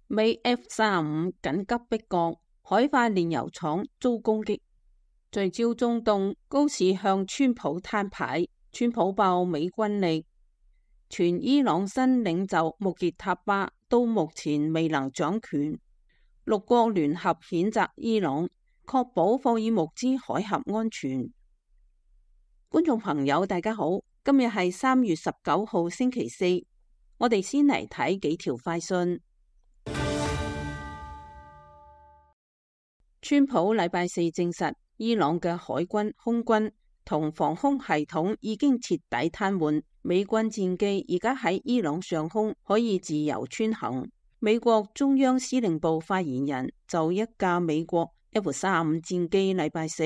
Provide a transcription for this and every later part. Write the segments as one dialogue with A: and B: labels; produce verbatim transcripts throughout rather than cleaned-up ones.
A: 美 F 三十五緊急迫降，海化煉油廠遭攻擊。聚焦中東，高市向川普攤牌，川普爆美軍力。全伊朗新領袖穆傑塔巴到目前未能掌權。六國聯合譴責伊朗，確保霍爾木茲海峽安全。觀眾朋友大家好，今日係三月十九號星期四，我哋先嚟睇幾條快訊。川普禮拜四證實，伊朗嘅海軍、空軍同防空系統已經徹底癱瘓，美軍戰機而家喺伊朗上空可以自由穿行。美國中央司令部發言人就一架美國 F 三十五戰機禮拜四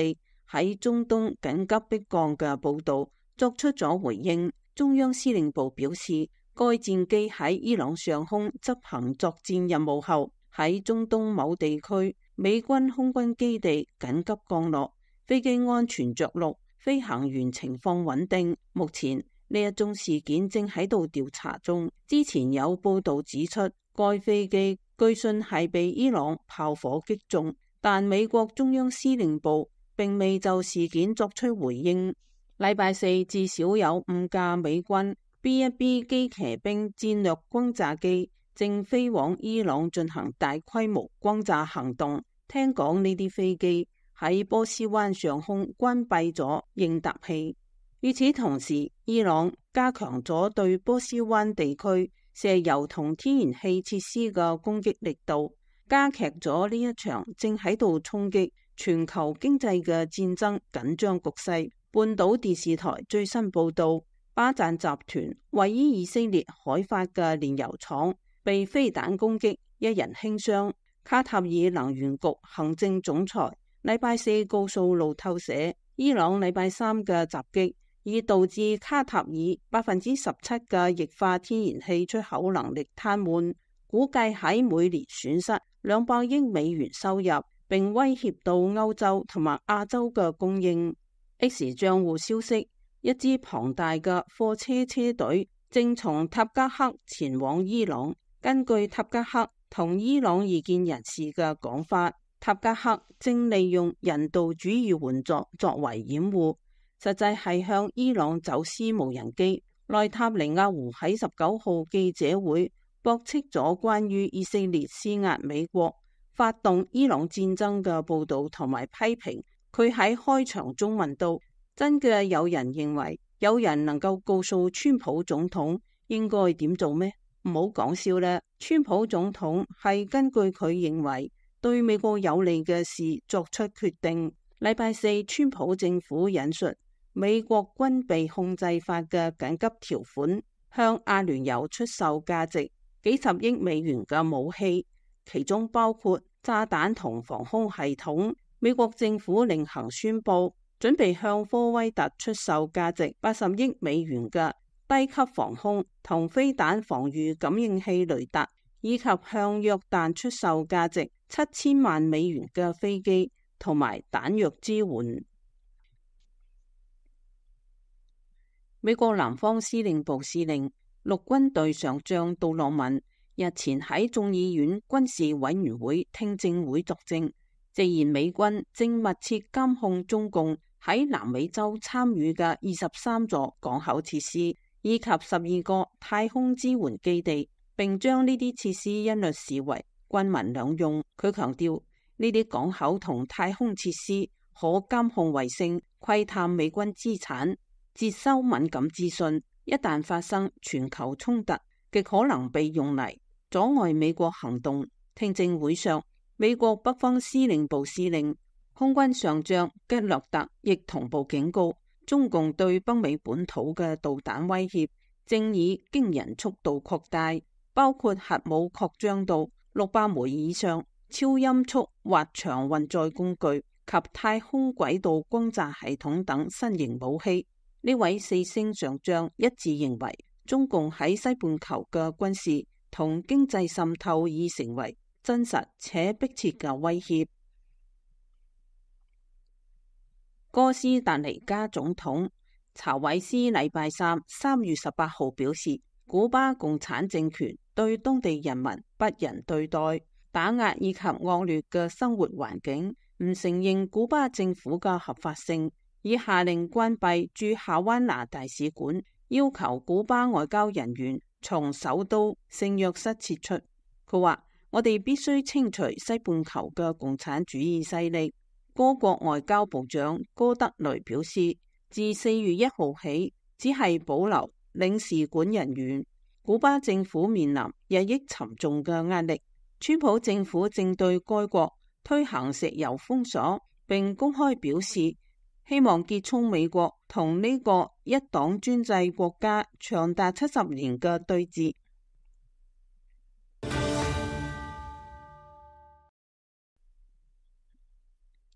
A: 喺中東緊急迫降嘅報道作出咗回應。中央司令部表示，該戰機喺伊朗上空執行作戰任務後，喺中東某地區美軍空軍基地緊急降落，飛機安全着陸，飛行員情況穩定。目前呢一宗事件正喺度調查中。之前有報道指出，該飛機據信係被伊朗炮火擊中，但美國中央司令部並未就事件作出回應。禮拜四至少有五架美軍 B 一 B 機騎兵戰略轟炸機正飛往伊朗進行大規模轟炸行動。聽講呢啲飛機喺波斯灣上空關閉咗應答器。與此同時，伊朗加強咗對波斯灣地區石油同天然氣設施嘅攻擊力度，加劇咗呢一場正喺度衝擊全球經濟嘅戰爭緊張局勢。半島電視台最新報道，巴贊集團位於以色列海法嘅煉油廠被飛彈攻擊，一人輕傷。卡塔爾能源局行政總裁禮拜四告訴路透社，伊朗禮拜三嘅襲擊已導致卡塔爾百分之十七嘅液化天然氣出口能力癱瘓，估計喺每年損失兩百億美元收入，並威脅到歐洲同埋亞洲嘅供應。X 賬戶消息，一支龐大嘅貨車車隊正從塔吉克前往伊朗。根據塔吉克同伊朗異見人士嘅講法，塔吉克正利用人道主義援助作為掩護，實際係向伊朗走私無人機。內塔尼亞胡喺十九號記者會駁斥咗關於以色列施壓美國發動伊朗戰爭嘅報道，同埋批評佢喺開場中問到：真嘅有人認為有人能夠告訴川普總統應該點做咩？唔好講笑啦，川普總統係根據佢認為對美國有利嘅事作出決定。禮拜四，川普政府引述美國軍備控制法嘅緊急條款，向阿聯酋出售價值幾十億美元嘅武器，其中包括炸彈同防空系統。美國政府另行宣布，準備向科威特出售價值八十億美元嘅低級防空同飛彈防禦感應器雷達，以及向約旦出售價值七千萬美元嘅飛機同埋彈藥支援。美國南方司令部司令陸軍隊上將杜洛文日前喺眾議院軍事委員會聽證會作證，直言美軍正密切監控中共喺南美洲參與嘅二十三座港口設施以及十二個太空支援基地，並將呢啲設施一律視為軍民兩用。佢強調，呢啲港口同太空設施可監控衛星、窺探美軍資產、接收敏感資訊，一旦發生全球衝突，極可能被用嚟阻礙美國行動。聽證會上，美國北方司令部司令空軍上將吉勒特亦同步警告，中共對北美本土嘅導彈威脅正以驚人速度擴大，包括核武擴張到六百枚以上、超音速滑翔運載工具及太空軌道轟炸系統等新型武器。呢位四星上將一致認為，中共喺西半球嘅軍事同經濟滲透已成為真實且迫切嘅威脅。哥斯達黎加總統查韋斯禮拜三三月十八號表示，古巴共產政權對當地人民不仁對待、打壓以及惡劣嘅生活環境，唔承認古巴政府嘅合法性，已下令關閉駐夏灣拿大使館，要求古巴外交人員從首都聖約瑟撤出。佢話：我哋必須清除西半球嘅共產主義勢力。該國外交部長戈德雷表示，自四月一號起，只係保留領事館人員。古巴政府面臨日益沉重嘅壓力。川普政府正對該國推行石油封鎖，並公開表示希望結束美國同呢個一黨專制國家長達七十年嘅對峙。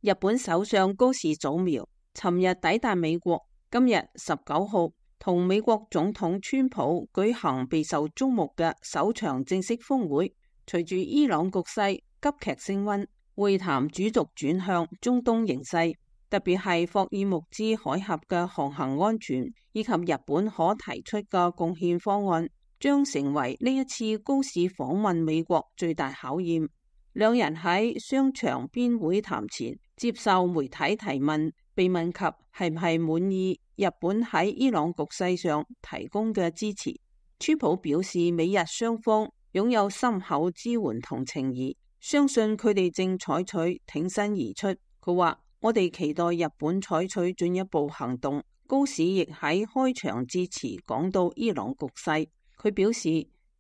A: 日本首相高市早苗尋日抵達美國，今日十九號同美國總統川普舉行備受矚目嘅首場正式峰會。隨住伊朗局勢急劇升溫，會談主軸轉向中東形勢，特別係霍爾木茲海峽嘅航行安全以及日本可提出嘅貢獻方案，將成為呢一次高市訪問美國最大考驗。兩人喺商場邊會談前接受媒體提問，被問及係唔係滿意日本喺伊朗局勢上提供嘅支持，川普表示美日雙方擁有深厚支援同情誼，相信佢哋正採取挺身而出。佢話：我哋期待日本採取進一步行動。高市亦喺開場致辭講到伊朗局勢，佢表示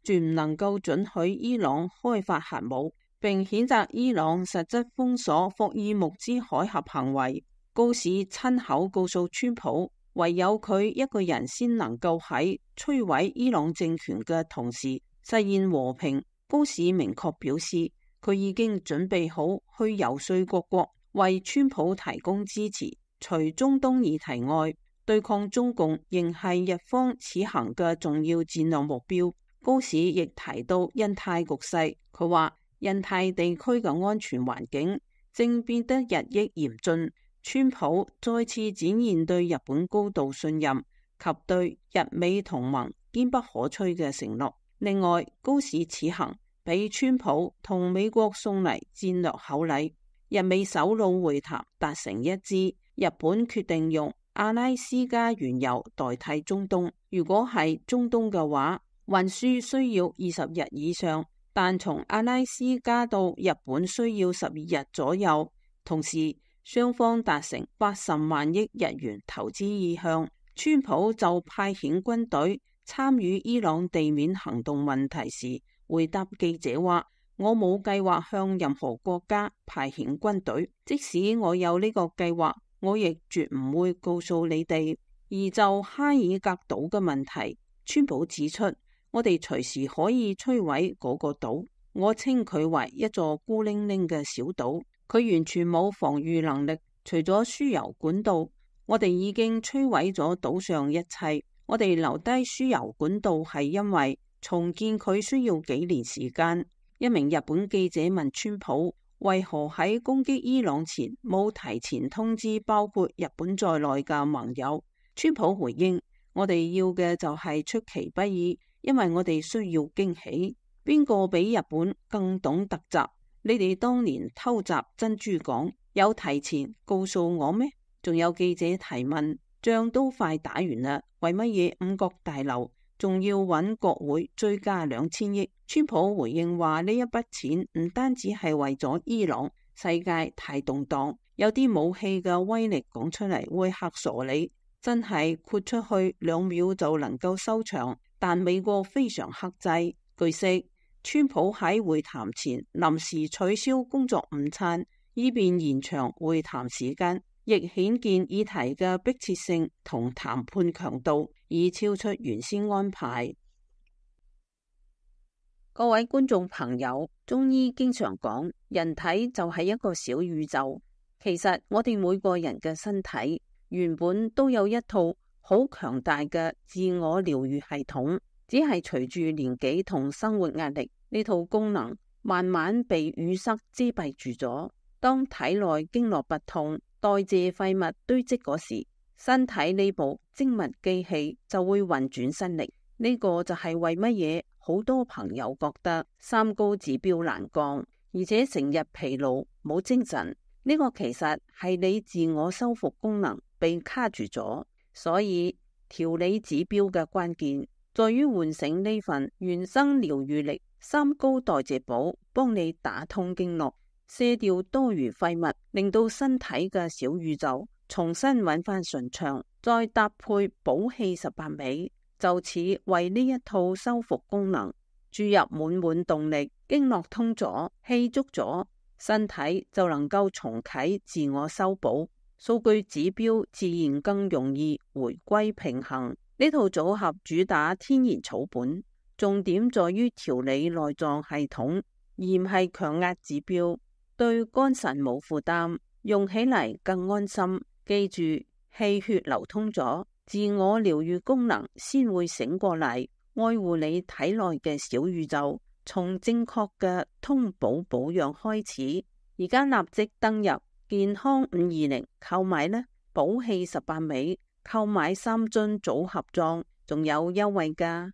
A: 絕唔能夠准許伊朗開發核武，並譴責伊朗實質封鎖霍爾木茲海峽行為。高市親口告訴川普，唯有佢一個人先能夠喺摧毀伊朗政權嘅同時實現和平。高市明確表示，佢已經準備好去游說各國為川普提供支持。除中東議題外，對抗中共仍係日方此行嘅重要戰略目標。高市亦提到印太局勢，佢話印太地區嘅安全環境正變得日益嚴峻。川普再次展現對日本高度信任及對日美同盟堅不可摧嘅承諾。另外，高市此行俾川普同美國送嚟戰略厚禮，日美首腦會談達成一致，日本決定用阿拉斯加原油代替中東。如果係中東嘅話，運輸需要二十日以上，但從阿拉斯加到日本需要十二日左右。同時，雙方達成八十萬億日元投資意向。川普就派遣軍隊參與伊朗地面行動問題時，回答記者話：我冇計劃向任何國家派遣軍隊，即使我有呢個計劃，我亦絕唔會告訴你哋。而就哈爾格島嘅問題，川普指出，我哋隨時可以摧毀嗰個島，我稱佢為一座孤零零嘅小島，佢完全冇防禦能力。除咗輸油管道，我哋已經摧毀咗島上一切。我哋留低輸油管道係因為重建佢需要幾年時間。一名日本記者問川普，為何喺攻擊伊朗前冇提前通知包括日本在內嘅盟友？川普回應：我哋要嘅就係出其不意，因為我哋需要驚喜。邊個比日本更懂突襲？你哋當年偷襲珍珠港，有提前告訴我咩？仲有記者提問：仗都快打完啦，為乜嘢五角大樓仲要揾國會追加兩千億？川普回應話：呢一筆錢唔單止係為咗伊朗，世界太動盪，有啲武器嘅威力講出嚟會嚇傻你，真係豁出去兩秒就能夠收場。但美國非常克制。據悉，川普喺會談前臨時取消工作午餐，以便延長會談時間，亦顯見議題嘅迫切性同談判強度已超出原先安排。各位觀眾朋友，中醫經常講，人體就係一個小宇宙。其實我哋每個人嘅身體原本都有一套好強大嘅自我療愈系統，只係隨住年紀同生活壓力，呢套功能慢慢被淤塞遮蔽住咗。當體內經絡不通，代謝廢物堆積嗰時，身體呢部精密機器就會運轉失力。呢個就係為乜嘢好多朋友覺得三高指標難降，而且成日疲勞冇精神。呢個其實係你自我修復功能被卡住咗，所以調理指標嘅關鍵在於喚醒呢份原生療癒力。三高代謝寶幫你打通經絡，卸掉多餘廢物，令到身體嘅小宇宙重新揾翻順暢，再搭配補氣十八味，就此為呢一套修復功能注入滿滿動力。經絡通咗，氣足咗，身體就能夠重啟自我修補，數據指標自然更容易回歸平衡。呢套組合主打天然草本，重點在於調理內臟系統，而唔係強壓指標，對肝腎冇負擔，用起嚟更安心。記住，氣血流通咗，自我療癒功能先會醒過嚟，愛護你體內嘅小宇宙。從正確嘅通補保養開始，而家立即登入健康五二零購買呢，補氣十八味，購買三樽組合裝，仲有優惠㗎。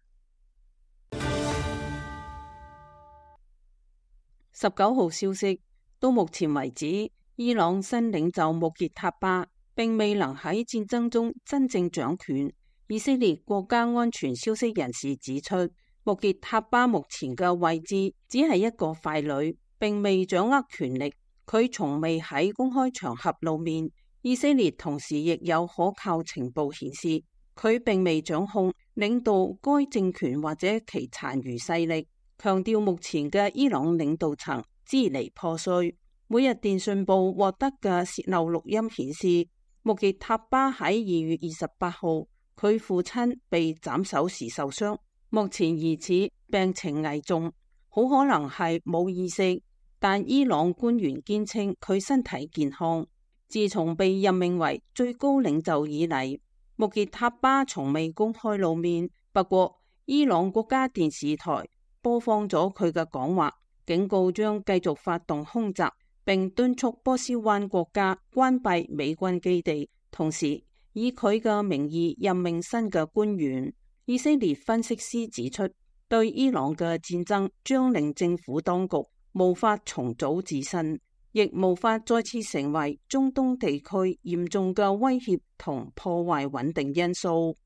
A: 十九號消息，到目前為止，伊朗新領袖穆傑塔巴並未能喺戰爭中真正掌權。以色列國家安全消息人士指出，穆傑塔巴目前嘅位置只係一個傀儡，並未掌握權力。佢從未喺公開場合露面。以色列同時亦有可靠情報顯示，佢並未掌控領導該政權或者其殘餘勢力。強調目前嘅伊朗領導層支離破碎。每日電訊報獲得嘅洩漏錄音顯示，穆傑塔巴喺二月二十八號，佢父親被斬首時受傷。目前疑似病情危重，好可能係冇意識，但伊朗官員堅稱佢身體健康。自從被任命為最高領袖以嚟，穆傑塔巴從未公開露面。不過，伊朗國家電視台播放咗佢嘅講話，警告將繼續發動空襲，並敦促波斯灣國家關閉美軍基地，同時以佢嘅名義任命新嘅官員。以色列分析師指出，對伊朗嘅戰爭將令政府當局無法重組自身，亦無法再次成為中東地區嚴重嘅威脅同破壞穩定因素。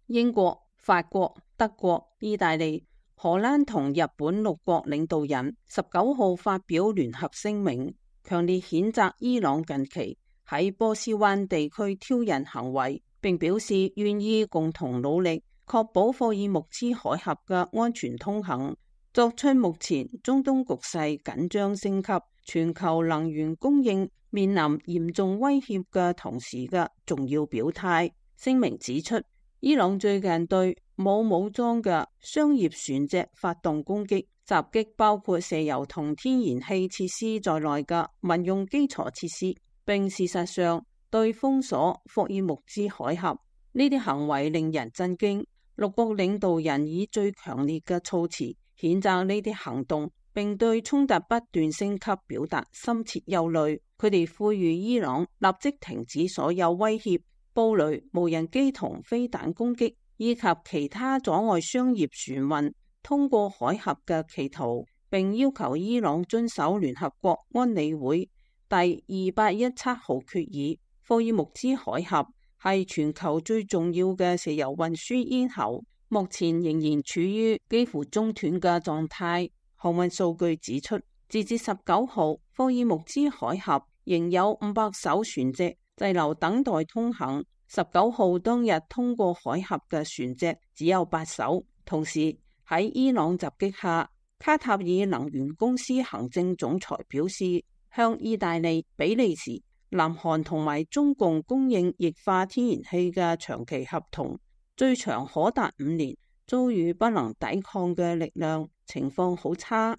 A: 英國、法國、德國、意大利、荷蘭同日本六國領導人十九號發表聯合聲明，強烈譴責伊朗近期喺波斯灣地區挑釁行為，並表示願意共同努力確保霍爾木茲海峽嘅安全通行，作出目前中東局勢緊張升級、全球能源供應面臨嚴重威脅嘅同時嘅重要表態。聲明指出，伊朗最近對冇武裝嘅商業船隻發動攻擊，襲擊包括石油同天然氣設施在內嘅民用基礎設施，並事實上對封鎖霍爾木茲海峽。呢啲行為令人震驚。六國領導人以最強烈嘅措辭譴責呢啲行動，並對衝突不斷升級表達深切憂慮。佢哋呼籲伊朗立即停止所有威脅、布雷、無人機同飛彈攻擊，以及其他阻礙商業船運通過海峽嘅企圖，並要求伊朗遵守聯合國安理會第二八一七號決議。霍爾木茲海峽係全球最重要嘅石油運輸咽喉，目前仍然處於幾乎中斷嘅狀態。航運數據指出，截至十九號，霍爾木茲海峽仍有五百艘船隻滯留等待通行。十九號當日通過海峽嘅船隻只有八艘。同時喺伊朗襲擊下，卡塔爾能源公司行政總裁表示，向意大利、比利時、南韓同埋中共供應液化天然氣嘅長期合同，最長可達五年，遭遇不能抵抗嘅力量，情況好差。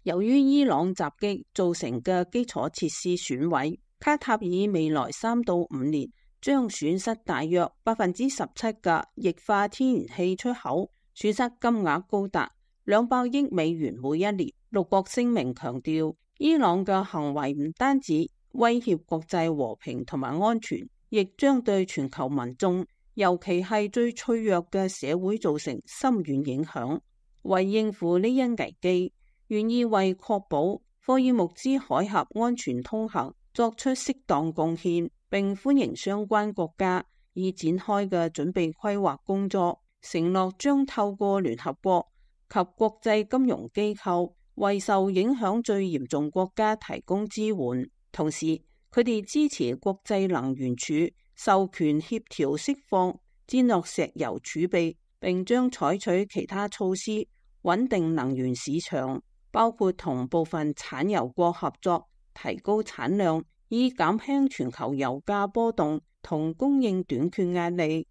A: 由於伊朗襲擊造成嘅基礎設施損毀，卡塔爾未來三到五年將損失大約百分之十七嘅液化天然氣出口，損失金額高達兩百億美元每一年。六國聲明強調，伊朗嘅行為唔單止威脅國際和平同埋安全，亦將對全球民眾尤其係最脆弱嘅社會造成深遠影響。為應付呢一危機，願意為確保霍爾木茲海峽安全通行作出適當貢獻，並歡迎相關國家已展開嘅準備規劃工作，承諾將透過聯合國及國際金融機構為受影響最嚴重國家提供支援。同時，佢哋支持國際能源署授權協調釋放戰略石油儲備，並將採取其他措施穩定能源市場，包括同部分產油國合作，提高產量，以減輕全球油價波動同供應短缺壓力。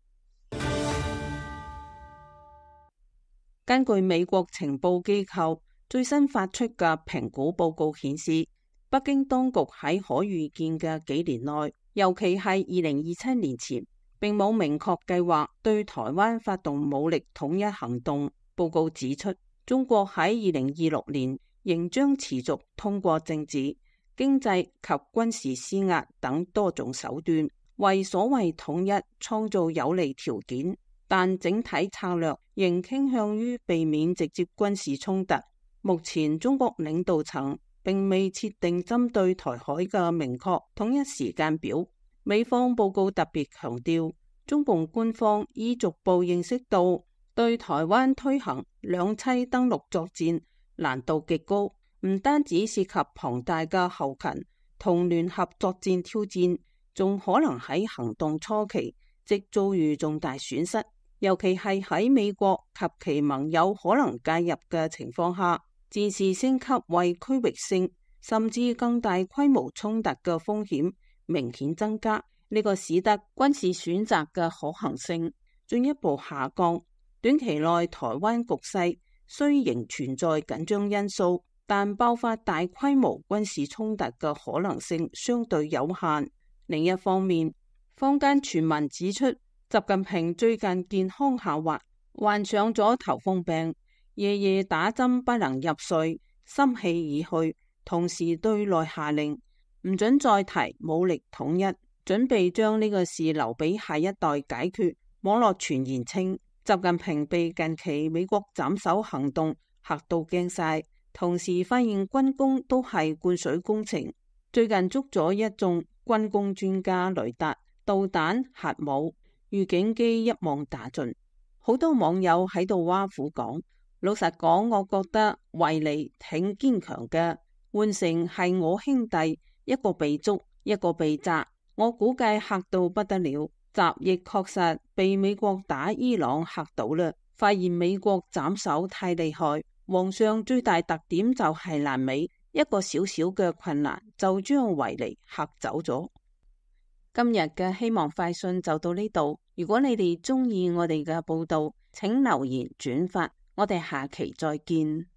A: 根據美國情報機構最新發出嘅評估報告顯示，北京當局喺可預見嘅幾年內，尤其係二零二七年前，並冇明確計劃對台灣發動武力統一行動。報告指出，中國喺二零二六年仍將持續通過政治、經濟及軍事施壓等多種手段，為所謂統一創造有利條件，但整體策略仍傾向於避免直接軍事衝突。目前中國領導層並未設定針對台海嘅明確統一時間表。美方報告特別強調，中共官方已逐步認識到對台灣推行兩棲登陸作戰難度極高，唔單止涉及龐大嘅後勤同聯合作戰挑戰，仲可能喺行動初期即遭遇重大損失，尤其係喺美國及其盟友可能介入嘅情況下，戰事升級為區域性甚至更大規模衝突嘅風險明顯增加。呢、這個使得軍事選擇嘅可行性進一步下降。短期內台灣局勢雖仍存在緊張因素，但爆發大規模軍事衝突嘅可能性相對有限。另一方面，坊間傳聞指出，習近平最近健康下滑，患上咗頭風病，夜夜打針不能入睡，心氣已去，同時對內下令唔准再提武力統一，準備將呢個事留俾下一代解決。網絡傳言稱，習近平被近期美國斬首行動嚇到驚晒，同時發現軍工都係灌水工程。最近捉咗一眾軍工專家，雷達、導彈、核武、預警機一網打盡。好多網友喺度挖苦講，老實講，我覺得維尼挺堅強嘅，換成係我兄弟，一個被捉，一個被炸，我估計嚇到不得了。習亦確實被美國打伊朗嚇到啦，發現美國斬首太厲害，皇上最大特點就係爛尾，一個小小嘅困難就將維尼嚇走咗。今日嘅希望快訊就到呢度，如果你哋中意我哋嘅報道，請留言轉發，我哋下期再見。